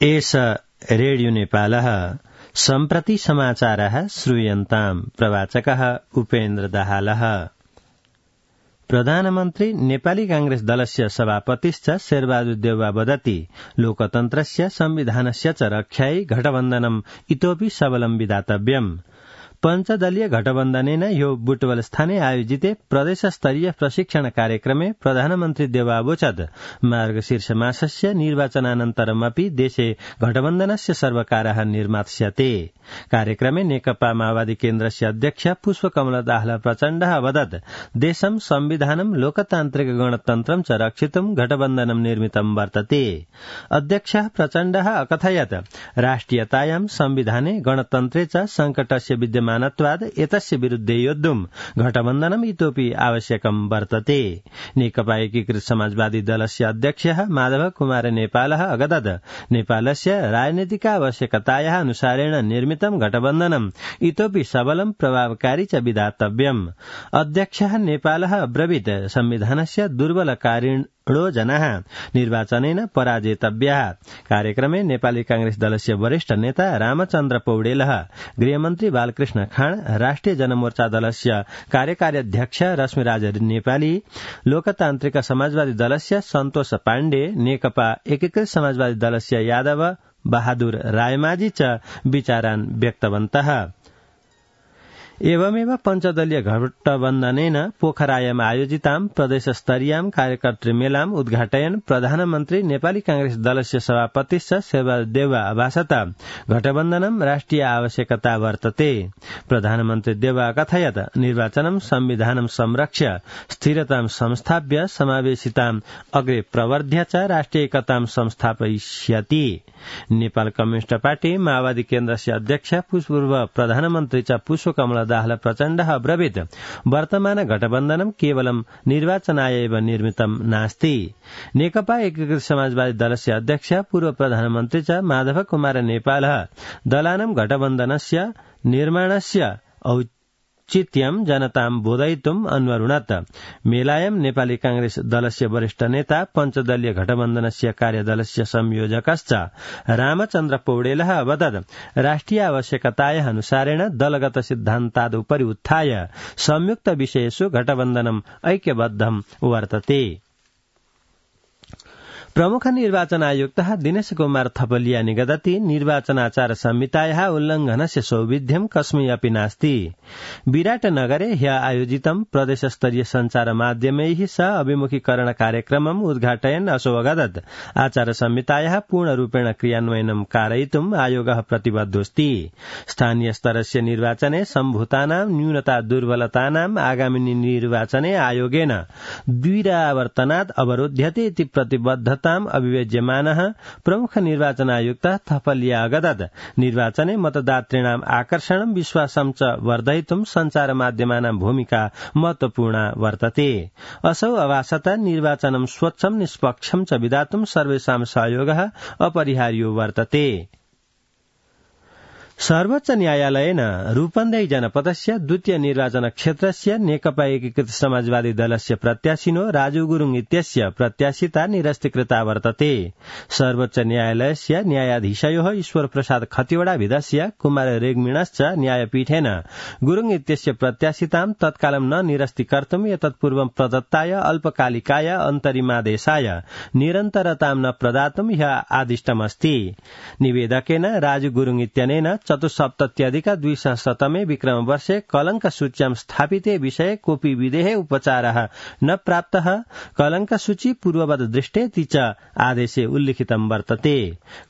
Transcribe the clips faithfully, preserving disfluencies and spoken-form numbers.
एष रेडियो नेपालः सम्प्रति समाचारः श्रूयन्ताम् प्रवाचकः उपेन्द्र दाहालः। प्रधानमन्त्री नेपाली कांग्रेस दलस्य सभापतिश्च शेरबहादुर देउवा वदति लोकतन्त्रस्य संविधानस्य च रक्षायै गठबन्धनम् इतोपि सबलं विधातव्यम्। पंचदलीय गठबन्धनेन यो बुटवल स्थाने आयोजिते प्रदेश स्तरीय प्रशिक्षण कार्यक्रमे प्रधानमन्त्री देवावोचत् मार्गशीर्ष मासस्य निर्वाचनानन्तरमपि देशे गठबन्धनस्य सर्वकारः निर्मास्यते। कार्यक्रमे नेकपा माओवादी केन्द्रस्य अध्यक्ष पुष्पकमल दाहाल प्रचण्डः अवदत् देशं संविधानं लोकतान्त्रिक गणतन्त्रं च रक्षितुं गठबन्धनं निर्मितं वर्तते। अध्यक्षः प्रचण्डः अकथयत् राष्ट्रियतायां संविधाने गणतन्त्रे च संकटस्य विद्यमानत्वाद् एतस्य विरुद्धे योद्धुं गठबन्धनम् इतोपि आवश्यकं वर्तते। नेकपा एकीकृत समाजवादी दलस्य अध्यक्षः माधव कुमार नेपालः अगदत् नेपालस्य राजनीतिक आवश्यकतायाः अनुसारेण निर्मितं गठबन्धनम् इतोपि सबलं प्रभावकारी च विधातव्यम्। अध्यक्षः नेपालः अब्रवीत् संविधानस्य दुर्बलकारिणो जनाः निर्वाचनेन पराजेतव्याः। कार्यक्रमे नेपाली कांग्रेस दलस्य वरिष्ठ नेता रामचन्द्र पौडेलः, गृहमन्त्री बालकृष्ण खाँड, राष्ट्रिय जनमोर्चा दलस्य कार्यकारी अध्यक्ष रश्मिराज नेपाली, लोकतान्त्रिक समाजवादी दलस्य सन्तोष पाण्डे, नेकपा एकीकृत समाजवादी दलस्य यादव बहादुर रायमाझी च विचारान् व्यक्तवन्तः। एवमेव पञ्चदलीय गठबन्धनेन पोखरायाम् आयोजितां प्रदेश स्तरीयां कार्यकर्तृमेलाम् उद्घाटयन् प्रधानमन्त्री नेपाली कांग्रेस दलस्य सभापतिश्च शेरबहादुर देउवा अभाषत गठबन्धनं राष्ट्रिय आवश्यकता वर्तते। प्रधानमन्त्री देउवा कथयत् निर्वाचनं संविधानं संरक्ष्य स्थिरतां संस्थाप्य समावेशिताम् अग्रे प्रवर्ध्य च राष्ट्रिय एकतां संस्थापयिष्यति। नेपाल कम्युनिष्ट पार्टी माओवादी केन्द्रस्य अध्यक्ष पूर्व प्रधानमन्त्री च पुष्पकमल दाहाल प्रचण्डः अब्रवीत् वर्तमान गठबन्धनं केवलं निर्वाचनाय एव निर्मितं नास्ति। नेकपा एकीकृत समाजवादी दलस्य अध्यक्ष पूर्व प्रधानमन्त्री च माधव कुमार नेपालः दलानां गठबन्धनस्य निर्माणस्य औचित्यं जनतां बोधयितुम् अन्वरुणत्। मेलायां नेपाली कांग्रेस दलस्य वरिष्ठ नेता पञ्चदलीय गठबन्धनस्य कार्यदलस्य संयोजकश्च रामचन्द्र पौडेलः अवदत् राष्ट्रिय आवश्यकतायाः अनुसारेण दलगत सिद्धान्तादुपरि उत्थाय संयुक्त विषयेषु गठबन्धनम् ऐक्यबद्धं वर्तते। प्रमुख निर्वाचन आयुक्तः दिनेश कुमार थपलिया निगदति निर्वाचनाचार संहितायाः उल्लङ्घनस्य सौविध्यं कस्मै अपि नास्ति। विराटनगरे ह्य आयोजितं प्रदेशस्तरीय सञ्चार माध्यमैः सह अभिमुखीकरण कार्यक्रमम् उद्घाटयन् असौ अगदत् आचार संहितायाः पूर्णरूपेण क्रियान्वयनं कारयितुम् आयोगः प्रतिबद्धोऽस्ति। स्थानीय स्तरस्य निर्वाचने सम्भूतानां न्यूनता दुर्बलतानाम् आगामिनी निर्वाचने आयोगेन द्विरावर्तनात् अवरोध्यते इति प्रतिबद्धता अभिव्यज्यमानः प्रमुख निर्वाचन आयुक्तः थपलिया अगदत् निर्वाचने मतदातॄणाम् आकर्षणं विश्वासं च वर्धयितुं सञ्चार माध्यमानां भूमिका महत्वपूर्णा वर्तते। असौ अभाषत निर्वाचनं स्वच्छं निष्पक्षं च विधातुं सर्वेषां सहयोगः अपरिहार्यो वर्तते। सर्वोच्च न्यायालयेन रूपन्देही जनपदस्य द्वितीय निर्वाचन क्षेत्रस्य नेकपा एकीकृत समाजवादी दलस्य प्रत्याशिनो राजु गुरुङ इत्यस्य प्रत्याशिता निरस्तीकृता वर्तते। सर्वोच्च न्यायालयस्य न्यायाधीशयोः ईश्वर प्रसाद खतिवड़ाभिधस्य कुमार रेग्मिणश्च न्यायपीठेन गुरुङ इत्यस्य प्रत्याशितां तत्कालं न निरस्तीकर्तुम् एतत्पूर्वं प्रदत्ताय अल्पकालिकाय अन्तरिमादेशाय निरन्तरतां न प्रदातुम् ह्यः आदिष्टमस्ति। निवेदकेन राजु गुरुङ इत्यनेन चतुस्सप्तत्यधिक द्विसहस्रतमे विक्रमवर्षे कलंक सूच्यां स्थापिते विषये कोऽपि विधेः उपचारः न प्राप्तः कलंक सूची पूर्ववद् दृष्टेति च आदेशे उल्लिखितं वर्तते।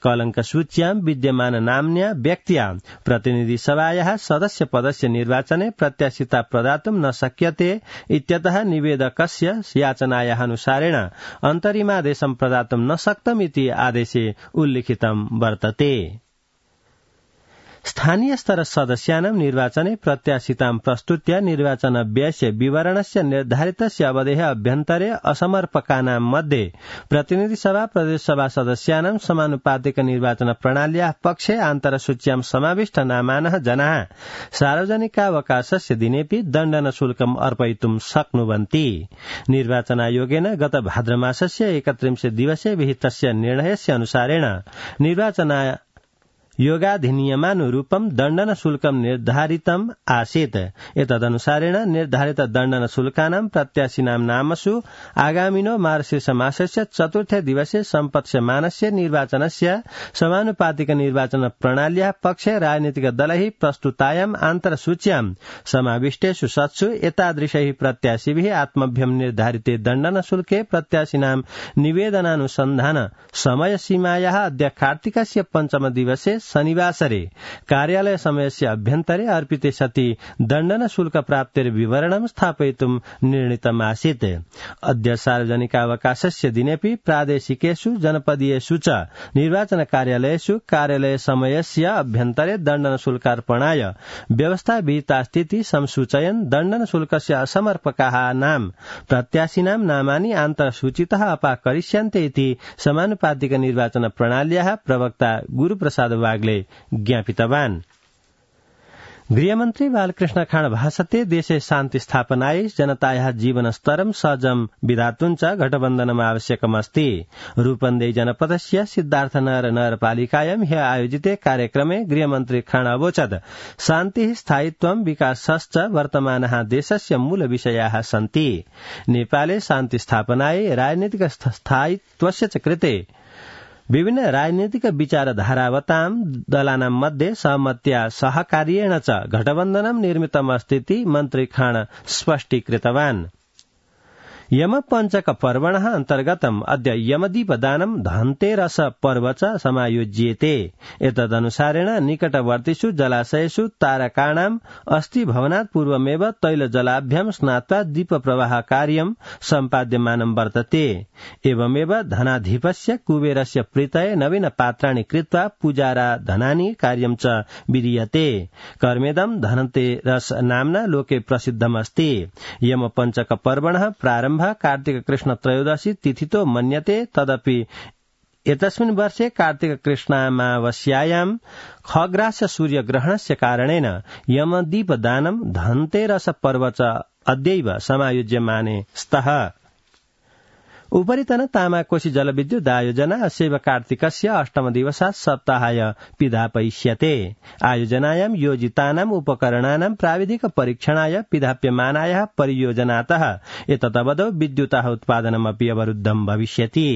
कलंक सूच्यां विद्यमान नाम्न्या व्यक्त्या प्रतिनिधि सभायाः सदस्य पदस्य निर्वाचने प्रत्याशिता प्रदातुं न शक्यते इत्यतः निवेदकस्य याचनायाः अनुसारेण अन्तरिमादेशं प्रदातुं न शक्तम् इति आदेशे उल्लिखितं वर्तते। स्थानीय स्तर सदस्यानां निर्वाचने प्रत्याशितां प्रस्तुत्य निर्वाचन व्ययस्य विवरणस्य निर्धारितस्य अवधेः अभ्यन्तरे असमर्पकानां मध्ये प्रतिनिधि सभा प्रदेश सभा सदस्यानां समानुपातिक निर्वाचन प्रणाल्याः पक्षे आन्तरसूच्यां समाविष्ट नामानः जनाः सार्वजनिकावकाशस्य दिनेऽपि दण्डन शुल्कम् अर्पयितुं शक्नुवन्ति। निर्वाचनायोगेन गत भाद्रमासस्य एकत्रिंशे दिवसे विहितस्य निर्णयस्य अनुसारेण निर्वाचना योगाधिनियमानुरूपं दण्डन शुल्कं निर्धारितम् आसीत्। एतदनुसारेण निर्धारित दण्डन शुल्कानां प्रत्याशिनां नामसु आगामिनो मार्गशीर्ष मासस्य चतुर्थे दिवसे सम्पत्स्यमानस्य निर्वाचनस्य समानुपातिक निर्वाचन प्रणाल्याः पक्षे राजनीतिक दलैः प्रस्तुतायाम् आन्तरसूच्यां समाविष्टेषु सत्सु एतादृशैः प्रत्याशिभिः आत्मभ्यं निर्धारिते दण्डन शुल्के प्रत्याशिनां निवेदनानुसन्धान समयसीमायाः अद्य कार्तिकस्य पञ्चम दिवसे शनिवासरे कार्यालय समयस्य अभ्यन्तरे अर्पिते सति दण्डन शुल्क प्राप्तेर विवरणं स्थापयितुं निर्णीतमासीत्। अद्य सार्वजनिकावकाशस्य दिनेऽपि प्रादेशिकेषु जनपदीयेषु च निर्वाचन कार्यालयेषु कार्यालय समयस्य अभ्यन्तरे दण्डन शुल्कार्पणाय व्यवस्था विहितास्तीति संसूचयन् दण्डन शुल्कस्य असमर्पकाः नाम प्रत्याशिनां नामानि आन्तरसूचितः अपाकरिष्यन्ते इति समानुपातिक निर्वाचन प्रणाल्याः प्रवक्ता गुरुप्रसाद वाग्ले ज्ञापितवान्। गृहमन्त्री बालकृष्ण खाँड भाषते देशे शान्ति स्थापनायै जनतायाः जीवनस्तरं सहजं विधातुं च गठबन्धनम् आवश्यकमस्ति। रूपन्देही जनपदस्य सिद्धार्थनगर नगरपालिकायां ह्यः आयोजिते कार्यक्रमे गृहमन्त्री खाँड अवोचत् शान्तिः स्थायित्वं विकासश्च वर्तमानः देशस्य मूलविषयाः सन्ति। नेपाले शान्ति स्थापनायै राजनीतिक स्थायित्वस्य च कृते विभिन्न राजनीतिक विचारधारावतां दलानां मध्ये सहमत्या सहकार्येण च गठबन्धनं निर्मितमस्तीति मन्त्री खाँड स्पष्टीकृतवान्। यम पंचक पर्वणः अन्तर्गतम् अद्य यमदीपदानं धनतेरस पर्व च समायोज्येते। एतदनुसारेण निकटवर्तीषु जलाशयेषु तारकाणाम् अस्थिभवनात् पूर्वमेव तैलजलाभ्यां स्नात्वा दीपप्रवाह कार्यं सम्पाद्यमानं वर्तते। एवमेव धनाधिपस्य कुबेरस्य प्रीतये नवीन पात्राणि कृत्वा पूजाराधनानि कार्यं च विधीयते। कर्मेदं धनतेरस नाम्ना लोके प्रसिद्धमस्ति। यम पंचक पर्वणः प्रारम्भ कार्तिक कृष्ण त्रयोदशी तिथितो मन्यते। तदपि एतस्मिन् वर्षे कार्तिक कृष्णामावस्यायां खग्रास्य सूर्यग्रहणस्य कारणेन यमदीपदानं धनतेरस पर्व च अद्यैव समायोज्यमाने स्तः। उपरितन तामाकोशी जलविद्युत आयोजना अस्यैव कार्तिकस्य अष्टम दिवसात् सप्ताहाय पिधापयिष्यते। आयोजनायां योजितानाम् उपकरणानां प्राविधिक परीक्षणाय पिधाप्यमानायाः परियोजनातः एतदवधौ विद्युतः उत्पादनमपि अवरुद्धं भविष्यति।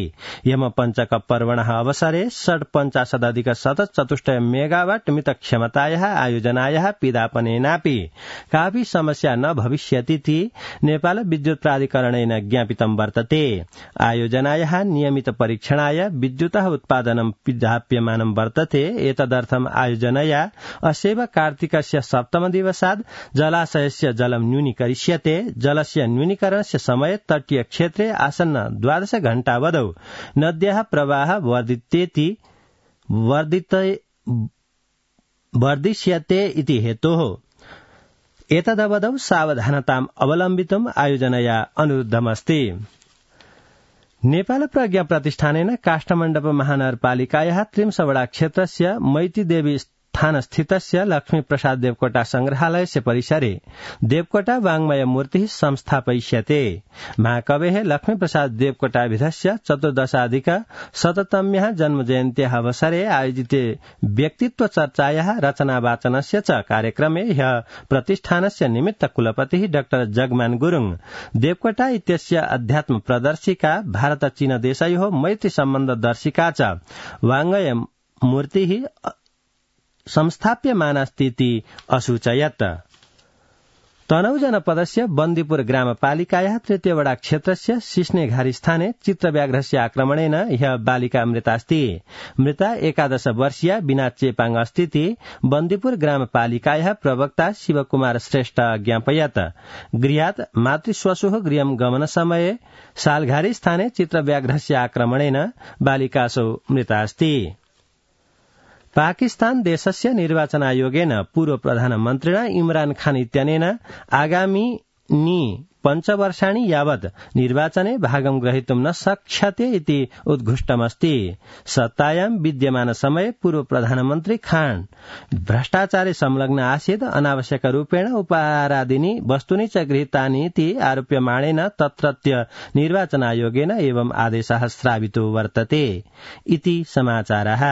यम पंचक पर्वणः अवसरे षट्पञ्चाशदधिक शतचतुष्टय मेगावाट मितक्षमतायाः आयोजनायाः पिधापनेनापि कापि समस्या न भविष्यतीति नेपाल विद्युत प्राधिकरणेन ज्ञापितं वर्तते। आयोजनायाः नियमित परीक्षणाय विद्युतः उत्पादनं पिधाप्यमानं वर्तते। एतदर्थम् आयोजनया अस्यैव कार्तिकस्य सप्तम दिवसात् जलाशयस्य जलं न्यूनीकरिष्यते। जलस्य न्यूनीकरणस्य समये तटीय क्षेत्रे आसन्न द्वादश घण्टावधौ नद्याः प्रवाहः वर्धितेति वर्धिष्यते इति हेतोः एतदवधौ सावधानताम् अवलम्बितुम् आयोजनया अनुरुद्धमस्ति। नेपाल प्रज्ञा प्रतिष्ठानेन काष्ठमण्डप महानगरपालिकायाः त्रिंसवड़ा क्षेत्रस्य मैतीदेवी स्थानस्थितस्य लक्ष्मीप्रसाद देवकोटा संग्रहालयस्य परिसरे देवकोटा वाङ्मय मूर्तिः संस्थापयिष्यते। महाकवेः लक्ष्मीप्रसाद देवकोटाभिधस्य चतुर्दशाधिक शततम्याः जन्मजयन्त्याः अवसरे आयोजिते व्यक्तित्व चर्चायाः रचनावाचनस्य च कार्यक्रमे ह्यः प्रतिष्ठानस्य निमित्त कुलपतिः डाक्टर जगमान गुरुङ देवकोटा इत्यस्य अध्यात्म प्रदर्शिका भारत चीन देशयोः मैत्री सम्बन्ध दर्शिका च वाङ्मय मूर्तिः संस्थाप्यमानास्तीति असूचयत्। तनहु जनपदस्य बन्दीपुर ग्रामपालिकायाः तृतीयवड़ा क्षेत्रस्य सिस्नेघारी स्थाने चित्रव्याघ्रस्य आक्रमणेन ह्यः बालिका मृतास्ति। मृता एकादश वर्षीया बिना चेपाङ अस्तीति बन्दीपुर ग्रामपालिकायाः प्रवक्ता शिवकुमार श्रेष्ठ ज्ञापयत्। गृहात् मातृश्वशुः गृहं गमनसमये सालघारी स्थाने चित्रव्याघ्रस्य आक्रमणेन बालिकासौ मृतास्ति। पाकिस्तान देशस्य निर्वाचन आयोगेन पूर्व प्रधानमन्त्रिणा इमरान खान इत्यनेन आगामी नि पञ्चवर्षाणि यावत् निर्वाचने भागं ग्रहीतुं न शक्ष्यते इति उद्घुष्टमस्ति। सत्तायां विद्यमान समये पूर्व प्रधानमन्त्री खान भ्रष्टाचारे संलग्न आसीत्, अनावश्यकरूपेण उपहारादीनि वस्तूनि च गृहीतानि इति आरोप्यमाणेन तत्रत्य निर्वाचन आयोगेन एवं आदेशः श्रावितो वर्तते इति समाचारः।